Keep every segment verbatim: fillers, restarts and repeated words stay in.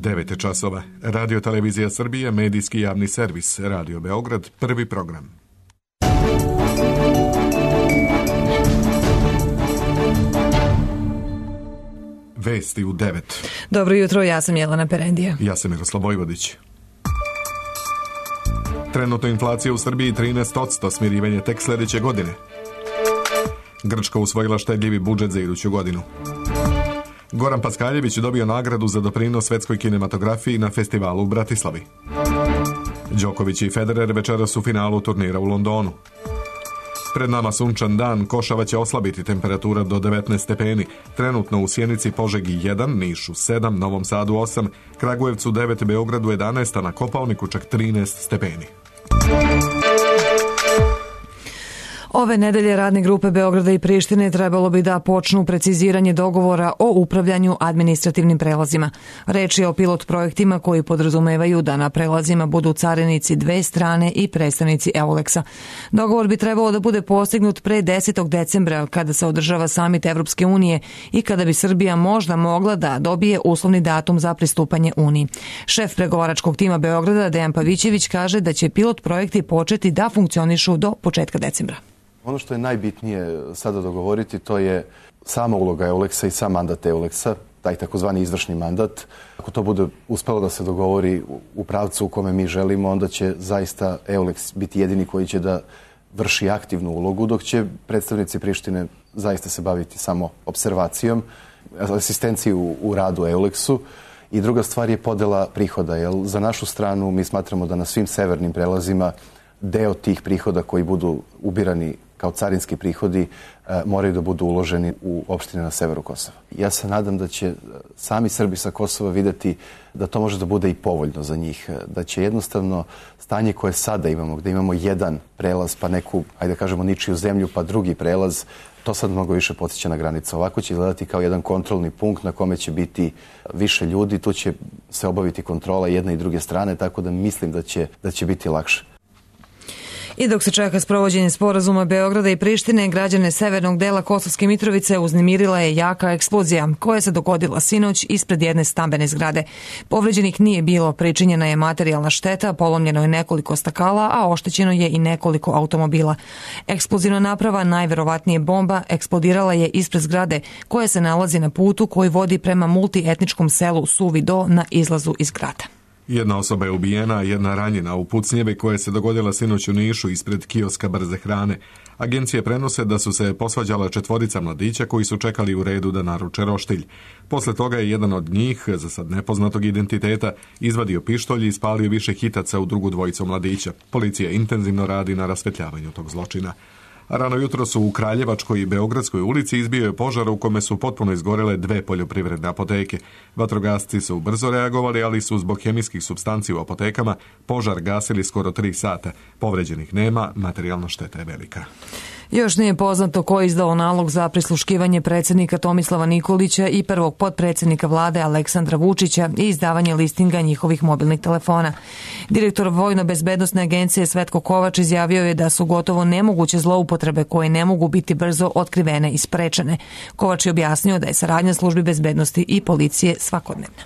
devet časova. Radio Televizija Srbije, medijski javni servis, Radio Beograd, prvi program. Vesti u devet. Dobro jutro, ja sam Jelena Perendija. Ja sam Miroslav Vojvodić. Trenutno inflacija u Srbiji trinaest posto, smirivanje tek sljedeće godine. Grčka usvojila štedljivi budžet za iduću godinu. Goran Paskaljević dobio nagradu za doprinos svetskoj kinematografiji na festivalu u Bratislavi. Đoković i Federer večeras u finalu turnira u Londonu. Pred nama sunčan dan, Košava će oslabiti temperatura do devetnaest stepeni. Trenutno u Sjenici, Požegi jedan, Nišu sedam, Novom Sadu osam, Kragujevcu devet, Beogradu jedanaest, a na Kopaoniku čak trinaest stepeni. Ove nedelje radne grupe Beograda i Prištine trebalo bi da počnu preciziranje dogovora o upravljanju administrativnim prelazima. Reč je o pilot projektima koji podrazumevaju da na prelazima budu carinici dve strane i predstavnici Euleksa. Dogovor bi trebalo da bude postignut pre desetog decembra kada se održava samit Evropske unije i kada bi Srbija možda mogla da dobije uslovni datum za pristupanje Uniji. Šef pregovaračkog tima Beograda Dejan Pavićević kaže da će pilot projekti početi da funkcionišu do početka decembra. Ono što je najbitnije sada dogovoriti, to je sama uloga Euleksa i sam mandat Euleksa, taj takozvani izvršni mandat. Ako to bude uspelo da se dogovori u pravcu u kome mi želimo, onda će zaista Euleks biti jedini koji će da vrši aktivnu ulogu, dok će predstavnici Prištine zaista se baviti samo observacijom, asistenciju u, u radu Euleksu. I druga stvar je podela prihoda, jer za našu stranu mi smatramo da na svim severnim prelazima deo tih prihoda koji budu ubirani kao carinski prihodi moraju da budu uloženi u opštine na severu Kosova. Ja se nadam da će sami Srbi sa Kosova videti da to može da bude i povoljno za njih, da će jednostavno stanje koje sada imamo, gde imamo jedan prelaz pa neku, ajde kažemo, ničiju zemlju pa drugi prelaz, to sad mnogo više podsjeća na granicu. Ovako će gledati kao jedan kontrolni punkt na kome će biti više ljudi, tu će se obaviti kontrola jedne i druge strane, tako da mislim da će, da će biti lakše. I dok se čeka sprovođenje sporazuma Beograda i Prištine, građane severnog dela Kosovske Mitrovice uznemirila je jaka eksplozija koja se dogodila sinoć ispred jedne stambene zgrade. Povređenih nije bilo, pričinjena je materijalna šteta, polomljeno je nekoliko stakala, a oštećeno je i nekoliko automobila. Eksplozivna naprava, najverovatnije bomba, eksplodirala je ispred zgrade koja se nalazi na putu koji vodi prema multietničkom selu Suvi Do na izlazu iz grada. Jedna osoba je ubijena, jedna ranjena u pucnjevi koja se dogodila sinoć u Nišu ispred kioska brze hrane. Agencije prenose da su se posvađala četvorica mladića koji su čekali u redu da naruče roštilj. Posle toga je jedan od njih, za sad nepoznatog identiteta, izvadio pištolj i ispalio više hitaca u drugu dvojicu mladića. Policija intenzivno radi na rasvetljavanju tog zločina. Rano jutro su u Kraljevačkoj i Beogradskoj ulici izbio je požar u kome su potpuno izgorele dve poljoprivredne apoteke. Vatrogasci su brzo reagovali, ali su zbog hemijskih supstanci u apotekama požar gasili skoro tri sata. Povređenih nema, materijalna šteta je velika. Još nije poznato ko je izdao nalog za prisluškivanje predsjednika Tomislava Nikolića i prvog potpredsjednika vlade Aleksandra Vučića i izdavanje listinga njihovih mobilnih telefona. Direktor Vojno-bezbednosne agencije Svetko Kovač izjavio je da su gotovo nemoguće zloupotrebe koje ne mogu biti brzo otkrivene i sprečene. Kovač je objasnio da je saradnja službi bezbednosti i policije svakodnevna.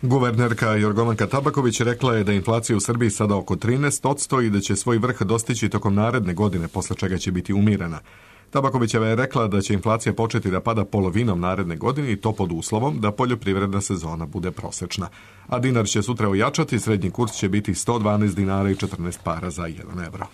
Guvernerka Jorgovanka Tabaković rekla je da je inflacija u Srbiji sada oko trinaest posto i da će svoj vrh dostići tokom naredne godine, posle čega će biti umirena. Tabakovićeva je rekla da će inflacija početi da pada polovinom naredne godine i to pod uslovom da poljoprivredna sezona bude prosečna. A dinar će sutra ojačati, srednji kurs će biti sto dvanaest dinara i četrnaest para za jedan evro.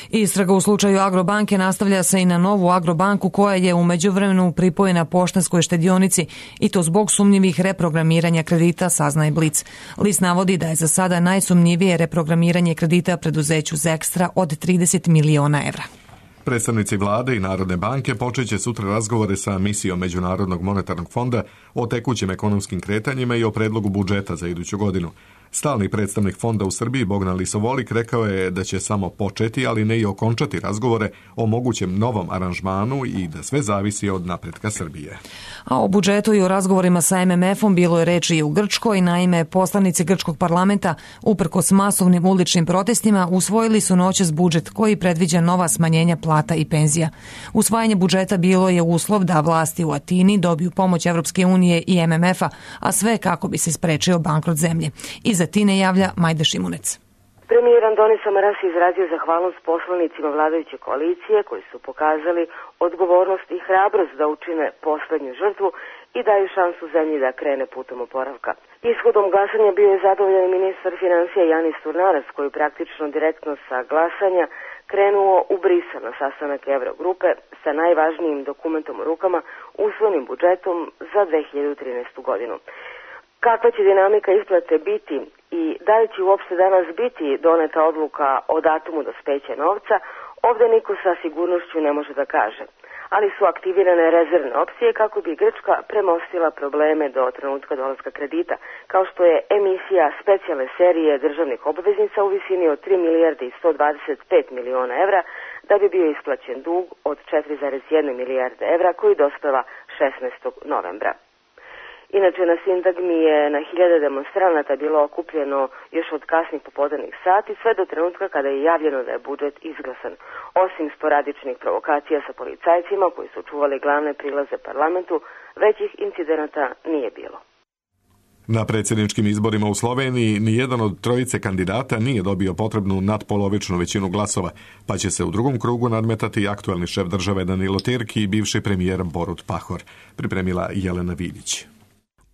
Istraga u slučaju Agrobanke nastavlja se i na novu Agrobanku koja je u međuvremenu pripojena Poštanskoj štedionici i to zbog sumnjivih reprogramiranja kredita, saznaje Blic. List navodi da je za sada najsumnjivije reprogramiranje kredita preduzeću Zekstra od trideset miliona evra. Predstavnici vlade i Narodne banke počeće sutra razgovore sa misijom Međunarodnog monetarnog fonda o tekućim ekonomskim kretanjima i o predlogu budžeta za iduću godinu. Stalni predstavnik fonda u Srbiji Bogdan Lisovolik rekao je da će samo početi, ali ne i okončati razgovore o mogućem novom aranžmanu i da sve zavisi od napretka Srbije. A o budžetu i o razgovorima sa em em efom bilo je reči i u Grčkoj. Naime, poslanici grčkog parlamenta, uprkos masovnim uličnim protestima, usvojili su noćas budžet koji predviđa nova smanjenja plata i penzija. Usvajanje budžeta bilo je uslov da vlasti u Atini dobiju pomoć Evropske unije i em em efa, a sve kako bi se sprečio bankrot zemlje. Iz Atine javlja Majda Šimunec. Premijer Andonis Samaras izrazio zahvalnost poslanicima vladajuće koalicije koji su pokazali odgovornost i hrabrost da učine poslednju žrtvu i daju šansu zemlji da krene putom oporavka. Ishodom glasanja bio je zadovoljan ministar financija Janis Turnaras, koji praktično direktno sa glasanja krenuo u Brisel na sastanak Evrogrupe sa najvažnijim dokumentom u rukama, usvojenim budžetom za dve hiljade trinaestu godinu. Kakva će dinamika isplate biti i da li će uopšte danas biti doneta odluka o datumu dospeća novca, ovde niko sa sigurnošću ne može da kaže. Ali su aktivirane rezervne opcije kako bi Grčka premostila probleme do trenutka dolaska kredita, kao što je emisija specijalne serije državnih obveznica u visini od tri milijarde i sto dvadeset pet miliona evra, da bi bio isplaćen dug od četiri zarez jedna milijarde evra koji dospeva šesnaestog novembra. Inače, na sintagmi je na hiljade demonstranata bilo okupljeno još od kasnih popodnevnih sati, sve do trenutka kada je javljeno da je budžet izglasan. Osim sporadičnih provokacija sa policajcima koji su čuvali glavne prilaze parlamentu, većih incidenata nije bilo. Na predsjedničkim izborima u Sloveniji nijedan od trojice kandidata nije dobio potrebnu nadpolovičnu većinu glasova, pa će se u drugom krugu nadmetati aktuelni šef države Danilo Tirki i bivši premijer Borut Pahor, pripremila Jelena Vidić.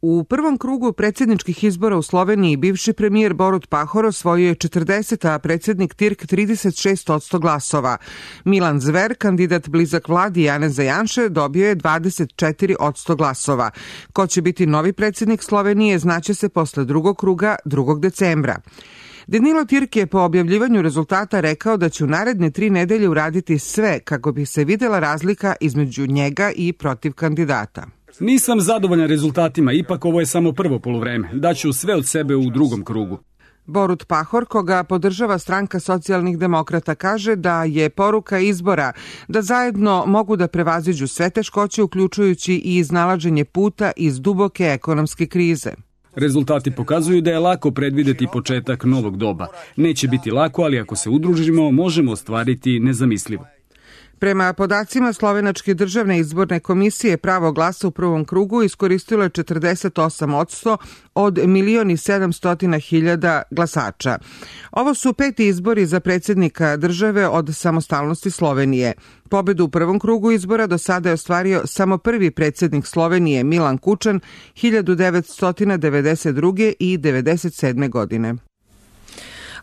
U prvom krugu predsjedničkih izbora u Sloveniji bivši premijer Borut Pahor osvojio je četrdeset, a predsjednik Tirk trideset šest posto glasova. Milan Zver, kandidat blizak vladi Janeza Janše, dobio je dvadeset četiri posto glasova. Ko će biti novi predsjednik Slovenije znaće se posle drugog kruga drugog decembra. Danilo Tirk je po objavljivanju rezultata rekao da će u naredne tri nedelje uraditi sve kako bi se videla razlika između njega i protiv kandidata. Nisam zadovoljan rezultatima, ipak ovo je samo prvo poluvreme. Daću sve od sebe u drugom krugu. Borut Pahor, koga podržava stranka socijalnih demokrata, kaže da je poruka izbora da zajedno mogu da prevaziđu sve teškoće, uključujući i iznalaženje puta iz duboke ekonomske krize. Rezultati pokazuju da je lako predvideti početak novog doba. Neće biti lako, ali ako se udružimo, možemo ostvariti nezamislivo. Prema podacima Slovenačke državne izborne komisije, pravo glasa u prvom krugu iskoristilo je četrdeset osam posto od milion i sedamsto hiljada glasača. Ovo su peti izbori za predsjednika države od samostalnosti Slovenije. Pobedu u prvom krugu izbora do sada je ostvario samo prvi predsjednik Slovenije Milan Kučan hiljadu devetsto devedeset druge i devedeset sedme godine.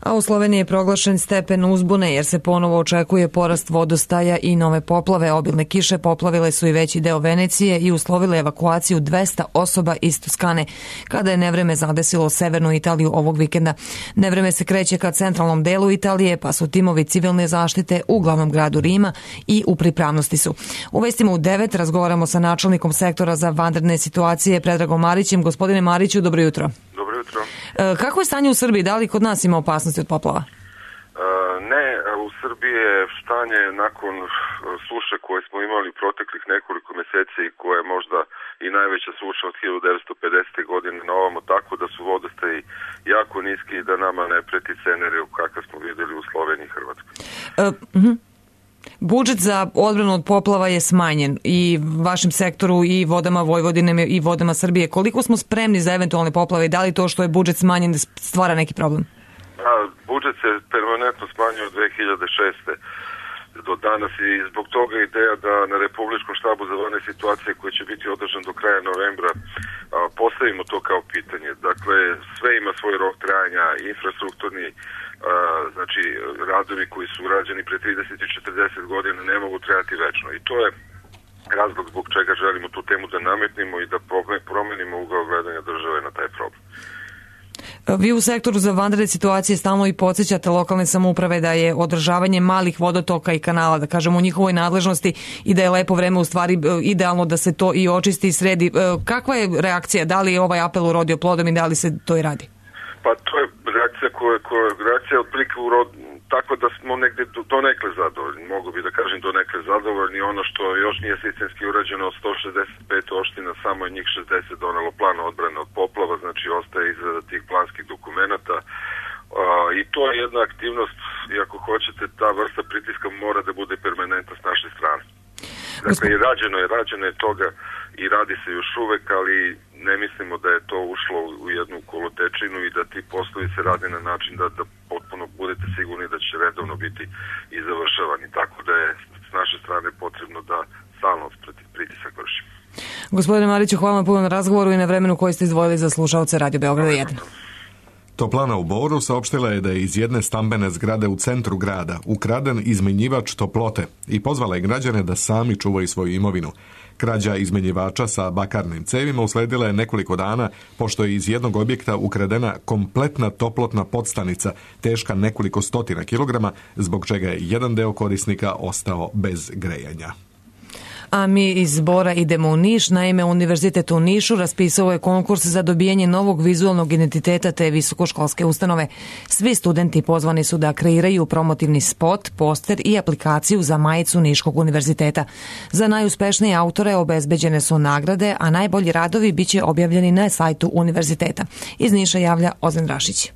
A u Sloveniji je proglašen stepen uzbune jer se ponovo očekuje porast vodostaja i nove poplave. Obilne kiše poplavile su i veći deo Venecije i uslovile evakuaciju dvesta osoba iz Toskane kada je nevreme zadesilo severnu Italiju ovog vikenda. Nevreme se kreće ka centralnom delu Italije, pa su timovi civilne zaštite u glavnom gradu Rima i u pripravnosti su. U vestima u devet razgovaramo sa načelnikom sektora za vanredne situacije Predragom Marićem. Gospodine Mariću, dobro jutro. Dobro jutro. Kako je stanje u Srbiji? Da li kod nas ima opasnosti od poplava? Ne, u Srbiji je stanje nakon suše koje smo imali proteklih nekoliko mjeseci i koja je možda i najveća suša od hiljadu devetsto pedesete. godine na ovamo, tako da su vodostaji jako niski i da nama ne preti scenariju kakav smo vidjeli u Sloveniji i Hrvatskoj. Uh, uh-huh. Budžet za odbranu od poplava je smanjen i vašem sektoru i vodama Vojvodine i vodama Srbije. Koliko smo spremni za eventualne poplave i da li to što je budžet smanjen stvara neki problem? A, budžet se permanentno smanjio od dve hiljade šeste. do danas i zbog toga ideja da na Republičkom štabu za vanredne situacije koji će biti održan do kraja novembra postavimo to kao pitanje. Dakle, sve ima svoj rok trajanja, infrastrukturni, znači radovi koji su urađeni pre trideset i četrdeset godina ne mogu trajati večno i to je razlog zbog čega želimo tu temu da nametnimo i da promenimo ugao gledanja države na taj problem. Vi u sektoru za vanredne situacije stalno i podsjećate lokalne samouprave da je održavanje malih vodotoka i kanala, da kažemo, u njihovoj nadležnosti i da je lepo vreme u stvari idealno da se to i očisti i sredi. Kakva je reakcija? Da li je ovaj apel urodio plodom i da li se to i radi? Pa to je reakcija koja, koja reakcija je otprilike urod, tako da smo negde donekle zadovoljni, mogu bi da kažem donekle zadovoljni. Ono što još nije sistemski urađeno, od sto šezdeset pet opština, samo je njih šezdeset donelo plan odbrane od poplava, znači ostaje izrada tih planskih dokumenata. Uh, i to je jedna aktivnost, i ako hoćete, ta vrsta pritiska mora da bude permanentna s naše strane. Dakle, i rađeno je, rađeno je toga i radi se još uvek, ali ne mislimo da je to ušlo u jednu kolotečinu i da ti poslovi se rade na način da, da potpuno budete sigurni da će redovno biti i završavani. Tako da je s naše strane potrebno da stalno pritisak vršimo. Gospodine Mariću, hvala vam puno na razgovoru i na vremenu koji ste izdvojili za slušaoce Radio Beograda jedan. Toplana u Boru saopštila je da je iz jedne stambene zgrade u centru grada ukraden izmenjivač toplote i pozvala je građane da sami čuvaju svoju imovinu. Krađa izmenjivača sa bakarnim cevima usledila je nekoliko dana pošto je iz jednog objekta ukradena kompletna toplotna podstanica teška nekoliko stotina kilograma, zbog čega je jedan deo korisnika ostao bez grejanja. A mi iz Bora idemo u Niš. Naime, Univerzitet u Nišu raspisao je konkurs za dobijanje novog vizualnog identiteta te visokoškolske ustanove. Svi studenti pozvani su da kreiraju promotivni spot, poster i aplikaciju za majicu Niškog univerziteta. Za najuspešnije autore obezbeđene su nagrade, a najbolji radovi biće objavljeni na sajtu univerziteta. Iz Niša javlja Ozan Rašić.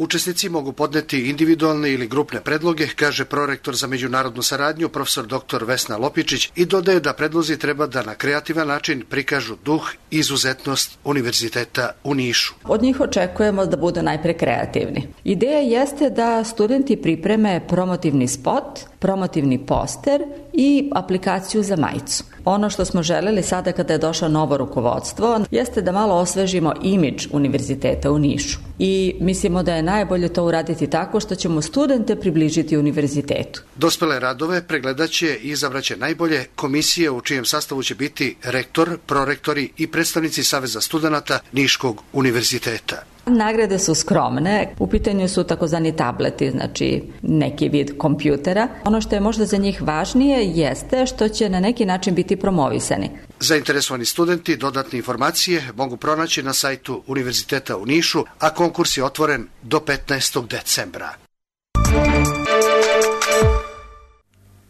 Učesnici mogu podneti individualne ili grupne predloge, kaže prorektor za međunarodnu saradnju profesor doktor Vesna Lopičić i dodaje da predlozi treba da na kreativan način prikažu duh i izuzetnost univerziteta u Nišu. Od njih očekujemo da budu najpre kreativni. Ideja jeste da studenti pripreme promotivni spot, promotivni poster i aplikaciju za majicu. Ono što smo želeli sada kada je došlo novo rukovodstvo jeste da malo osvežimo imidž univerziteta u Nišu. I mislimo da je najbolje to uraditi tako što ćemo studente približiti univerzitetu. Dospele radove pregledaće i izabraće najbolje komisije u čijem sastavu će biti rektor, prorektori i predstavnici Saveza studenata Niškog univerziteta. Nagrade su skromne, u pitanju su takozvani tableti, znači neki vid kompjutera. Ono što je možda za njih važnije jeste što će na neki način biti promovisani. Zainteresovani studenti dodatne informacije mogu pronaći na sajtu Univerziteta u Nišu, a konkurs je otvoren do petnaestog decembra.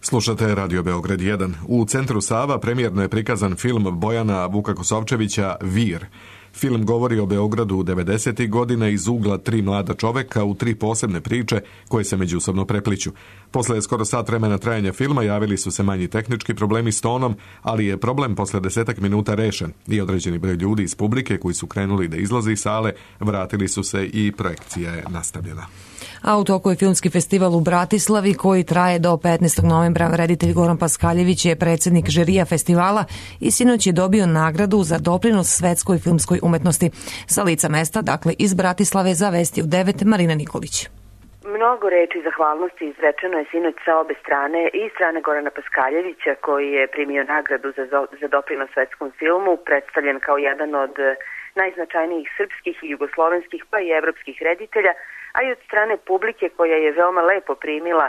Slušate Radio Beograd jedan. U Centru Sava premijerno je prikazan film Bojana Vuka Kosovčevića Vir. Film govori o Beogradu devedesetih godina iz ugla tri mlada čoveka u tri posebne priče koje se međusobno prepliću. Posle skoro sat vremena trajanja filma javili su se manji tehnički problemi s tonom, ali je problem posle desetak minuta rešen i određeni broj ljudi iz publike koji su krenuli da izlaze iz sale vratili su se i projekcija je nastavljena. A u toku je filmski festival u Bratislavi koji traje do petnaestog novembra. Reditelj Goran Paskaljević je predsjednik žirija festivala i sinoć je dobio nagradu za doprinos svetskoj filmskoj umetnosti. Sa lica mesta, dakle iz Bratislave, za Vesti u devet, Marina Nikolić. Mnogo reči zahvalnosti izrečeno je sinoć sa obe strane i strane Gorana Paskaljevića koji je primio nagradu za, za doprinos svetskom filmu, predstavljen kao jedan od najznačajnijih srpskih i jugoslovenskih pa i evropskih reditelja, a i od strane publike koja je veoma lepo primila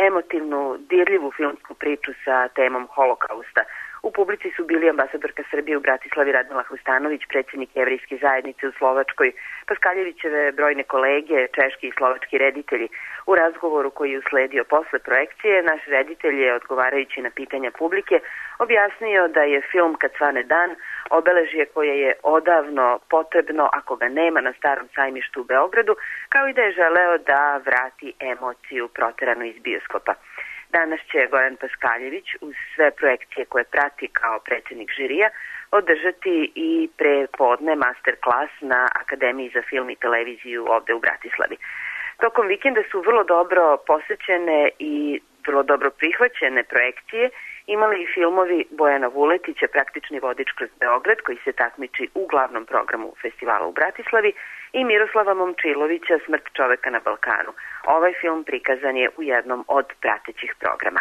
emotivnu, dirljivu filmsku priču sa temom Holokausta. U publici su bili ambasadorka Srbije u Bratislavi Radmila Hrustanović, predsjednik Jevrejske zajednice u Slovačkoj, Paskaljevićeve brojne kolege, češki i slovački reditelji. U razgovoru koji je usledio posle projekcije, naš reditelj je, odgovarajući na pitanja publike, objasnio da je film Kad svane dan obeležje koje je odavno potrebno ako ga nema na Starom sajmištu u Beogradu, kao i da je želeo da vrati emociju proteranu iz bioskopa. Danas će Goran Paskaljević uz sve projekcije koje prati kao predsjednik žirija održati i prepodne master klas na Akademiji za film i televiziju ovde u Bratislavi. Tokom vikenda su vrlo dobro posećene i vrlo dobro prihvaćene projekcije imali i filmovi Bojana Vuletića, Praktični vodič kroz Beograd, koji se takmiči u glavnom programu festivala u Bratislavi, i Miroslava Momčilovića, Smrt čoveka na Balkanu. Ovaj film prikazan je u jednom od pratećih programa.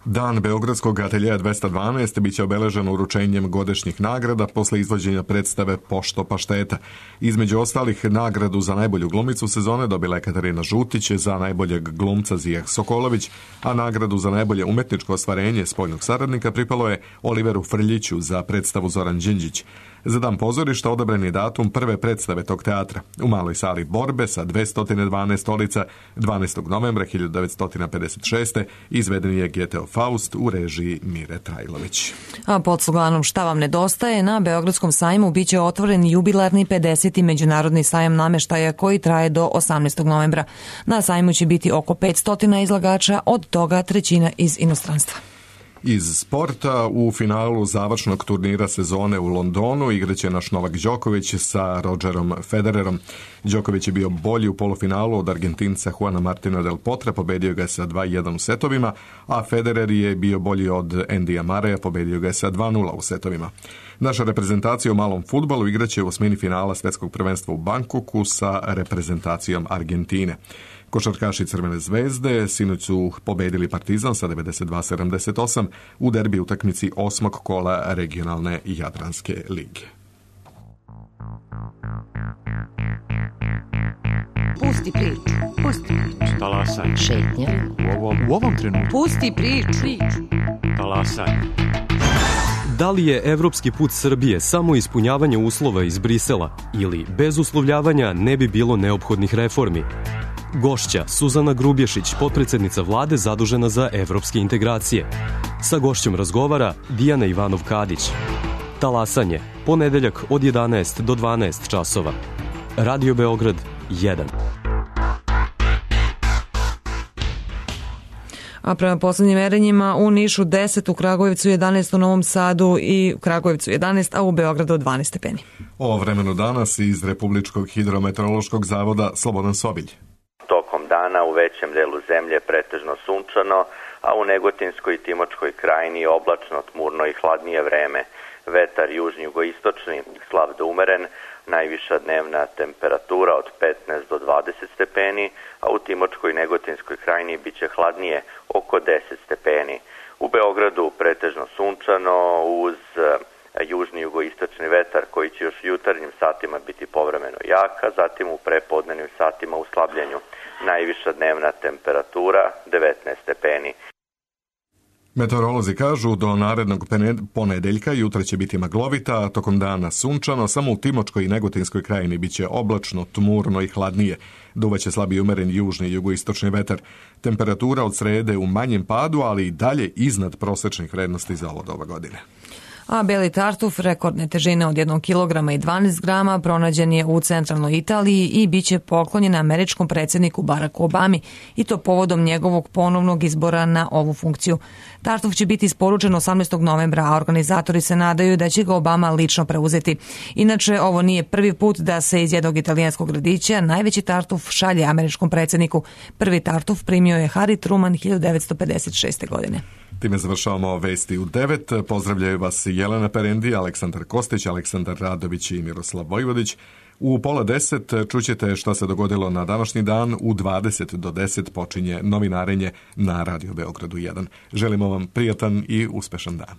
Dan Beogradskog ateljeja dvesta dvanaest biće obeležen uručenjem godišnjih nagrada posle izvođenja predstave Pošto pašteta. Između ostalih, nagradu za najbolju glumicu sezone dobila je Katarina Žutić, za najboljeg glumca Zijah Sokolović, a nagradu za najbolje umetničko ostvarenje spoljnog saradnika pripalo je Oliveru Frljiću za predstavu Zoran Đinđić. Za dan pozorišta odabren je datum prve predstave tog teatra u maloj sali Borbe sa dvesta dvanaest stolica. dvanaestog novembra hiljadu devetsto pedeset šeste. izveden je Geteo Faust u režiji Mire Trajlović. A pod sloganom Šta vam nedostaje, na Beogradskom sajmu biće otvoren jubilarni pedeseti međunarodni sajam nameštaja koji traje do osamnaestog novembra. Na sajmu će biti oko petsto izlagača, od toga trećina iz inostranstva. Iz sporta, u finalu završnog turnira sezone u Londonu igraće naš Novak Đoković sa Rogerom Federerom. Đoković je bio bolji u polufinalu od Argentinca Juana Martina del Potra, pobedio ga je sa dva jedan u setovima, a Federer je bio bolji od Andyja Murraya, pobedio ga je sa dva nula u setovima. Naša reprezentacija u malom fudbalu igraće u osmini finala Svetskog prvenstva u Bankoku sa reprezentacijom Argentine. Košarkaši Crvene zvezde sinoć su pobedili Partizan sa devedeset dva sedamdeset osam u derbi utakmici osmog kola regionalne Jadranske lige. Pusti priču, pusti priču. Talasaj. Šetnja. U ovom, u ovom trenutku. Pusti priču. Talasaj. Da li je evropski put Srbije samo ispunjavanje uslova iz Brisela ili bez uslovljavanja ne bi bilo neophodnih reformi? Gošća Suzana Grubješić, potpredsednica vlade zadužena za evropske integracije. Sa gošćom razgovara Dijana Ivanov-Kadić. Talasanje, ponedeljak od jedanaest do dvanaest časova. Radio Beograd jedan. A prema poslednjim merenjima u Nišu deset, u Kragujevcu jedanaest, u Novom Sadu i u Kragujevcu jedanaest, a u Beogradu dvanaest stepeni. O vremenu danas iz Republičkog hidrometeorološkog zavoda Slobodan Sobilj. Tokom dana u većem delu zemlje pretežno sunčano, a u Negotinskoj i Timočkoj krajini oblačno, tmurno i hladnije vreme. Vetar južni jugoistočni, slab do umeren, najviša dnevna temperatura od petnaest do dvadeset stepeni, a u Timočkoj i Negotinskoj krajini biće hladnije oko deset stepeni. U Beogradu pretežno sunčano uz južni jugoistočni vetar koji će još u jutarnjim satima biti povremeno jaka, zatim u prepodnevnim satima u slabljenju. Najviša dnevna temperatura devetnaest stepeni. Meteorolozi kažu do narednog ponedeljka jutra će biti maglovita, a tokom dana sunčano, samo u Timočkoj i Negotinskoj krajini biće oblačno, tmurno i hladnije. Duvaće slabi umeren južni i jugoistočni vetar. Temperatura od srede u manjem padu, ali i dalje iznad prosečnih vrednosti za ovo doba godine. A beli tartuf rekordne težine od jednog kilograma i dvanaest grama pronađen je u centralnoj Italiji i bit će poklonjen američkom predsjedniku Baracku Obami, i to povodom njegovog ponovnog izbora na ovu funkciju. Tartuf će biti isporučen osamnaestog novembra, a organizatori se nadaju da će ga Obama lično preuzeti. Inače, ovo nije prvi put da se iz jednog italijanskog gradića najveći tartuf šalje američkom predsjedniku. Prvi tartuf primio je Harry Truman hiljadu devetsto pedeset šeste. godine. Time završavamo vesti u devet. Pozdravljaju vas Jelena Perendi, Aleksandar Kostić, Aleksandar Radović i Miroslav Vojvodić. U pola deset čućete šta se dogodilo na današnji dan. U dvadeset do deset počinje novinarenje na Radio Beogradu jedan. Želimo vam prijatan i uspešan dan.